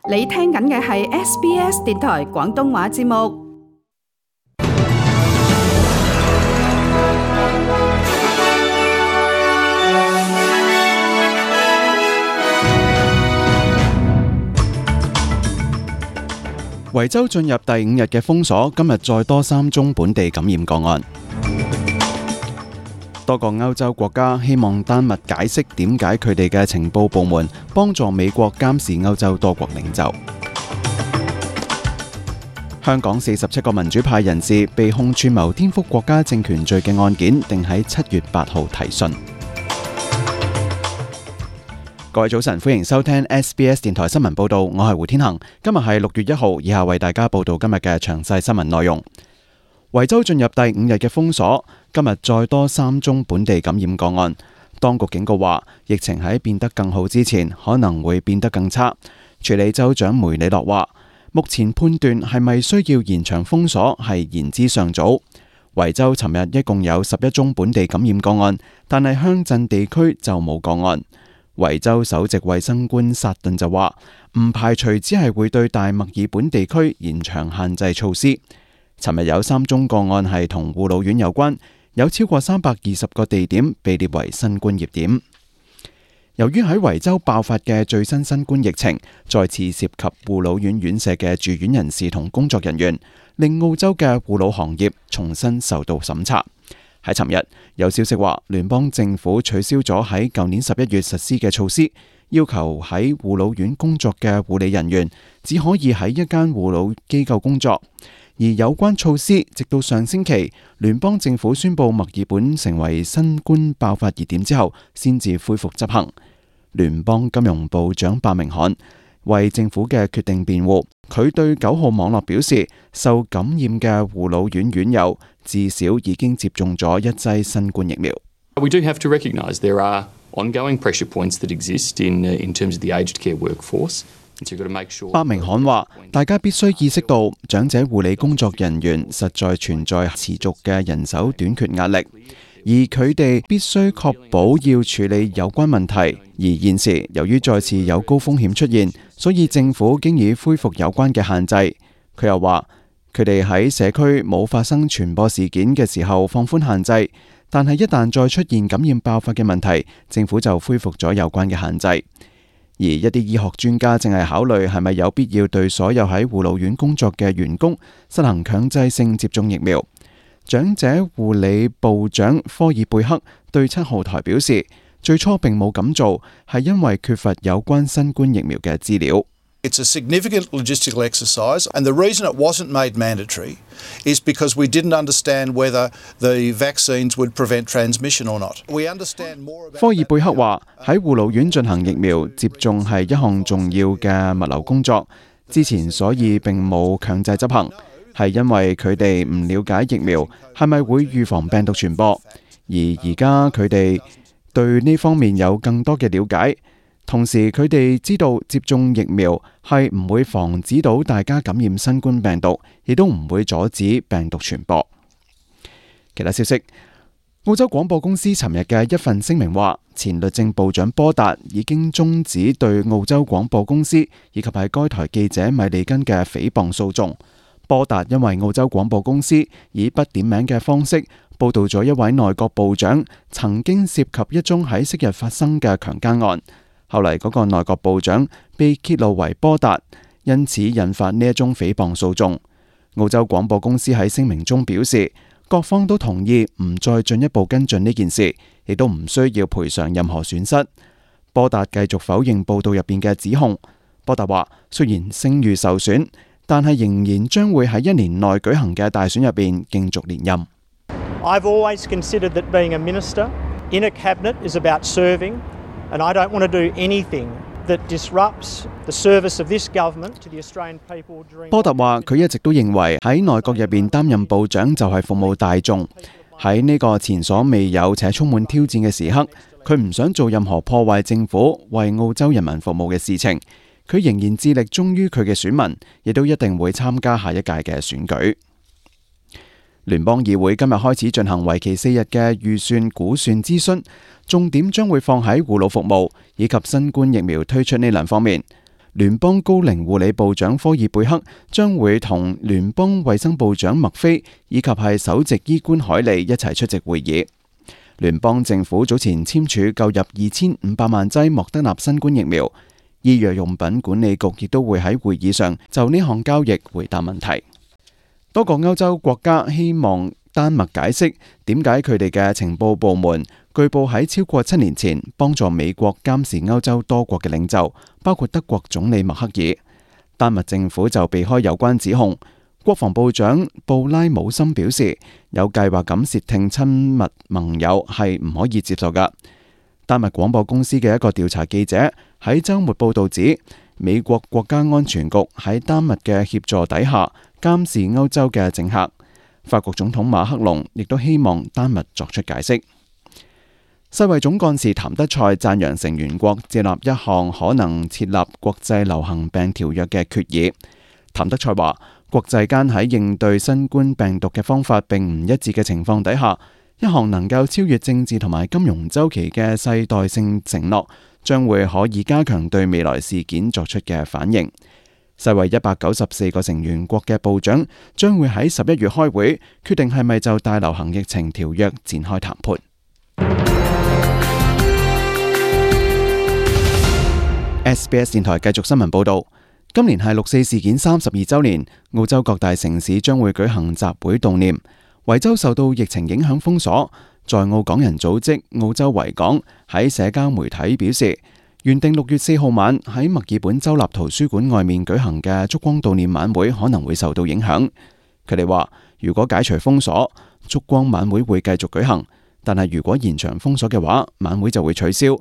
你聽緊嘅係 SBS 電台廣東話節目。維州進入第5日嘅封鎖，今日再多3宗本地感染個案。多個歐洲國家希望丹麥解釋點解佢哋嘅情報部門幫助美國監視歐洲多國領袖。香港47個民主派人士被控串謀顛覆國家政權罪嘅案件，定喺7月8號提訊。各位早晨，歡迎收聽 SBS 電台新聞報道，我係胡天恒。今日係6月1號，以下為大家報道今日嘅詳細新聞內容。維州進入第5日嘅封鎖，今日再多3宗本地感染個案。當局警告話，疫情喺變得更好之前，可能會變得更差。署理州長梅里諾話，目前判斷係咪需要延長封鎖係言之尚早。維州尋日一共有11宗本地感染個案，但係鄉鎮地區就冇個案。維州首席衛生官薩頓就話，唔排除只係會對大墨爾本地區延長限制措施。尋日有3宗個案係同護老院有關，有超過320個地點被列為新冠熱點。由於喺維州爆發嘅最新新冠疫情，再次涉及護老院院舍嘅住院人士同工作人員，令澳洲嘅護老行業重新受到審查。喺尋日有消息話，聯邦政府取消咗喺舊年11月實施嘅措施，要求喺護老院工作嘅護理人員只可以喺一間護老機構工作。而有關措施直到上星期聯邦政府宣布墨爾本成為新冠爆發熱點之後，先至恢復執行。聯邦金融部長伯明翰為政府嘅決定辯護，佢對9號網絡表示，受感染嘅護老院院友至少已經接種咗1劑新冠疫苗。We do have to recognise there are ongoing pressure points that exist in terms of the aged care workforce. 伯明翰話，大家必須意識到長者護理工作人員實在存在持續嘅人手短缺壓力，而佢哋必須確保要處理有關問題。而現時由於再次有高風險出現，所以政府經已恢復有關嘅限制。佢又話，佢哋喺社區冇發生傳播事件嘅時候放寬限制，但係一旦再出現感染爆發嘅問題，政府就恢復咗有關嘅限制。而一啲醫學專家正係考慮係咪有必要對所有喺護老院工作嘅員工實行強制性接種疫苗。長者護理部長科爾貝克對7號台表示，最初並冇咁做，係因為缺乏有關新冠疫苗嘅資料。It's a significant logistical exercise, and the reason it wasn't made mandatory is because we didn't understand whether the vaccines would prevent transmission or not. We understand more about. 科爾貝克話，喺護老院進行疫苗接種係一項重要嘅物流工作，之前所以並冇強制執行，係因為佢哋唔了解疫苗係咪會預防病毒傳播，而家佢哋對呢方面有更多嘅了解。同時，佢哋知道接種疫苗係唔會防止到大家感染新冠病毒，亦都唔會阻止病毒傳播。其他消息，澳洲廣播公司尋日嘅一份聲明話，前律政部長波達已經終止對澳洲廣播公司以及係該台記者米利根嘅誹謗訴訟。波達因為澳洲廣播公司以不點名嘅方式報導咗一位內閣部長曾經涉及一宗喺昔日發生嘅強姦案。後嚟嗰個內閣部長被揭露為波達，因此引發呢一宗誹謗訴訟。澳洲廣播公司喺聲明中表示，各方都同意唔再進一步跟進呢件事，亦都唔需要賠償任何損失。波達繼續否認報道入邊嘅指控。波達話，雖然聲譽受損，但係仍然將會喺1年內舉行嘅大選入邊競逐連任。I've always considered that being a minister in a cabinet is about serving. And I don't want to do anything that disrupts the service of this government to the Australian people during. 波特話，佢一直都認為喺內閣入邊擔任部長就係服務大眾。喺呢個前所未有且充滿挑戰嘅時刻，佢唔想做任何破壞政府為澳洲人民服務嘅事情。佢仍然致力忠於佢嘅選民，亦都一定會參加下一屆嘅選舉。聯邦議會今日開始進行為期4日嘅預算估算諮詢，重點將會放喺護老服務以及新冠疫苗推出呢兩方面。聯邦高齡護理部長科爾貝克將會同聯邦衛生部長麥菲以及係首席醫官海利一齊出席會議。聯邦政府早前簽署購入2500萬劑莫德納新冠疫苗，醫藥用品管理局亦都會喺會議上就呢項交易回答問題。多個歐洲國家希望丹麥解釋點解佢哋嘅情報部門據報喺超過7年前幫助美國監視歐洲多國嘅領袖，包括德國總理默克爾。丹麥政府就避開有關指控。國防部長布拉姆森表示，有計劃咁竊聽親密盟友係唔可以接受㗎。丹麥廣播公司嘅一個調查記者喺週末報導指，美國國家安全局喺丹麥嘅協助底下監視歐洲嘅政客。法國總統馬克龍亦都希望丹麥作出解釋。世衛總幹事譚德塞讚揚成員國接納一項可能設立國際流行病條約嘅決議。譚德塞話，國際間喺應對新冠病毒嘅方法並唔一致嘅情況底下，一項能夠超越政治同埋金融周期嘅世代性承諾，將會可以加強對未來事件作出嘅反應。世衛194個成員國嘅部長將會喺11月開會，決定係咪就大流行疫情條約展開談判。SBS 電台繼續新聞報道，今年係6·4事件32週年，澳洲各大城市將會舉行集會悼念。維州受到疫情影響封鎖，在澳港人組織澳洲維港喺社交媒體表示，原定6月4號晚喺墨爾本州立圖書館外面舉行嘅燭光悼念晚會可能會受到影響。佢哋話，如果解除封鎖，燭光晚會會繼續舉行，但係如果延長封鎖嘅話，晚會就會取消。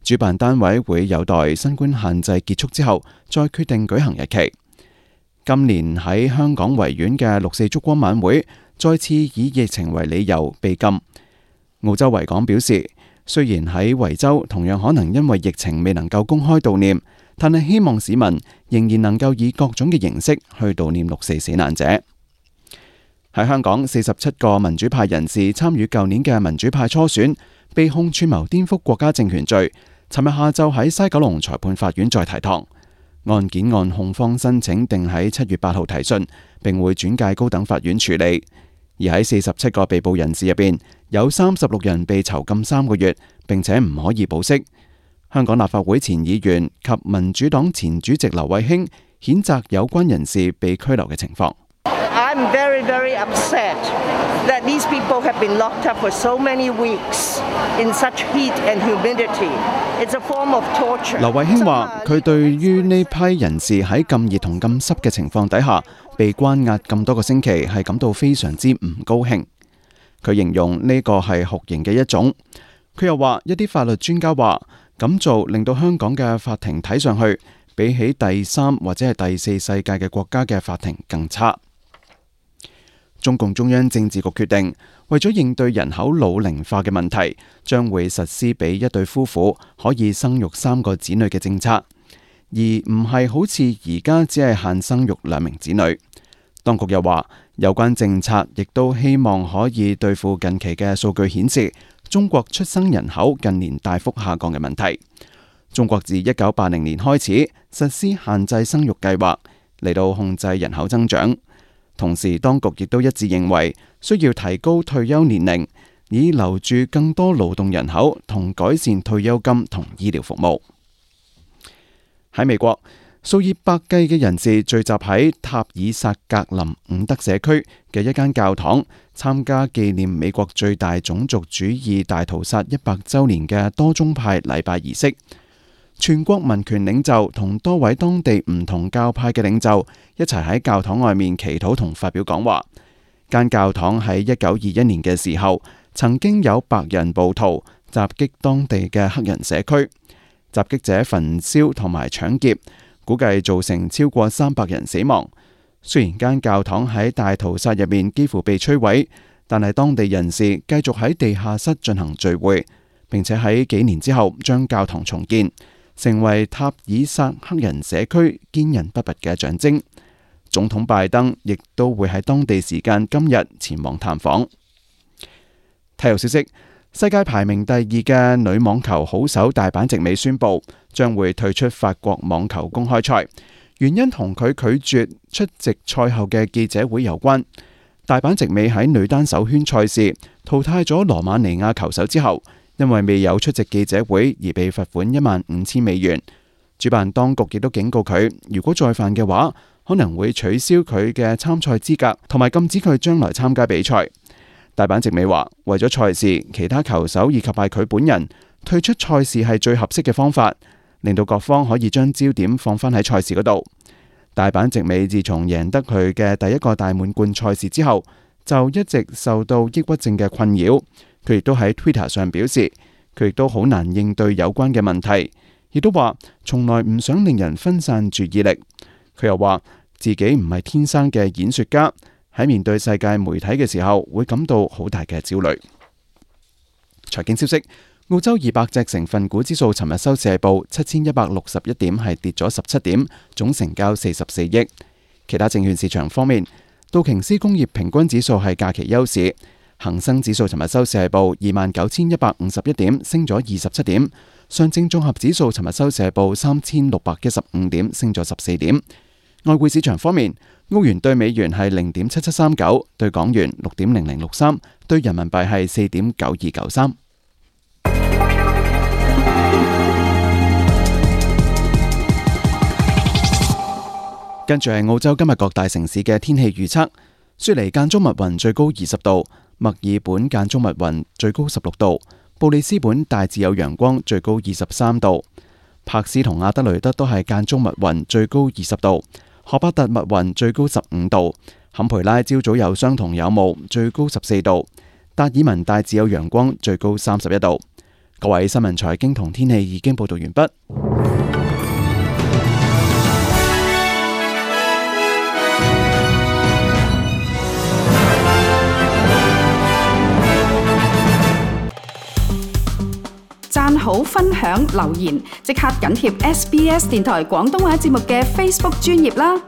主辦單位會有待新冠限制結束之後再決定舉行日期。今年喺香港維園嘅6·4燭光晚會再次以疫情為理由被禁。澳洲維港表示，雖然喺維州同樣可能因為疫情未能夠公開悼念，但係希望市民仍然能夠以各種嘅形式去悼念6·4死難者。喺香港，47個民主派人士參與舊年嘅民主派初選，被控串謀顛覆國家政權罪。尋日下晝喺西九龍裁判法院再提堂，案件按控方申請定喺7月8號提訊，並會轉介高等法院處理。而喺47個被捕人士入邊，有36人被囚禁3個月，並且唔可以保釋。香港立法會前議員及民主黨前主席劉慧卿譴責有關人士被拘留嘅情況。I'm very, very upset that these people have been locked up for so many weeks in such heat and humidity. It's a form of torture. 劉慧卿話：佢對於呢批人士喺咁熱同咁濕嘅情況底下被關押咁多個星期，係感到非常之唔高興。佢形容呢個係酷刑嘅一種。佢又話：一啲法律專家話咁做令到香港嘅法庭睇上去比起第3或者係第4世界嘅國家嘅法庭更差。中共中央政治局決定，為咗應對人口老齡化嘅問題，將會實施俾一對夫婦可以生育3個子女嘅政策，而唔係好似而家只係限生育2名子女。當局又話，有關政策亦都希望可以對付近期嘅數據顯示中國出生人口近年大幅下降嘅問題。中國自1980年開始實施限制生育計劃，嚟到控制人口增長。同時，當局亦都一致認為需要提高退休年齡，以留住更多勞動人口同改善退休金同醫療服務。喺美國，數以百計嘅人士聚集喺塔爾薩格林伍德社區嘅一間教堂，參加紀念美國最大種族主義大屠殺100週年嘅多宗派禮拜儀式。全國民權領袖同多位當地唔同教派嘅領袖一齊喺教堂外面祈禱同發表講話。間教堂喺1921年嘅時候，曾經有白人暴徒襲擊當地嘅黑人社區，襲擊者焚燒同埋搶劫，估計造成超過300人死亡。雖然間教堂喺大屠殺入面幾乎被摧毀，但係當地人士繼續喺地下室進行聚會，並且喺幾年之後將教堂重建，成為塔爾薩黑人社區堅韌不拔嘅象徵。總統拜登亦都會喺當地時間今日前往探訪。體育消息：世界排名第2嘅女網球好手大坂直美宣布將會退出法國網球公開賽，原因同佢拒絕出席賽後嘅記者會有關。大坂直美喺女單首圈賽事淘汰咗羅馬尼亞球手之後，因為未有出席記者會而被罰款15000美元。主辦當局亦都警告佢，如果再犯嘅話，可能會取消佢嘅參賽資格，同埋禁止佢將來參加比賽。大坂直美話，為咗賽事，其他球手以及係佢本人退出賽事係最合適嘅方法，令到各方可以將焦點放返喺賽事嗰度。大坂直美自從贏得佢嘅第一個大滿貫賽事之後，就一直受到抑鬱症嘅困擾。佢亦都喺 Twitter 上表示，佢亦都好難應對有關嘅問題，亦都話從來唔想令人分散注意力。佢又話自己唔係天生嘅演說家，喺面對世界媒體嘅時候會感到好大嘅焦慮。財經消息，澳洲200隻成分股指數尋日收市報7161點，係跌咗17點，總成交44億。其他證券市場方面，道瓊斯工業平均指數係假期休市，恒生指數尋日收市報29151點，升咗27點。上證綜合指數尋日收市報3615點，升咗14點。外匯市場方面，澳元對美元係0.7739，對港元6.0063，對人民幣係4.9293。跟住係澳洲今日各大城市嘅天氣預測：雪梨間中密雲，最高20度；墨爾本間中密雲，最高16度；布里斯本大致有陽光，最高23度；柏斯同阿德雷德都係間中密雲，最高20度；荷巴特密雲，最高15度；坎培拉朝早有霜同有霧，最高14度；達爾文大致有陽光，最高31度。各位新聞財經同天氣已經報道完畢。讚好、分享、留言，即刻緊貼SBS 電台廣東話節目嘅 Facebook 專頁啦！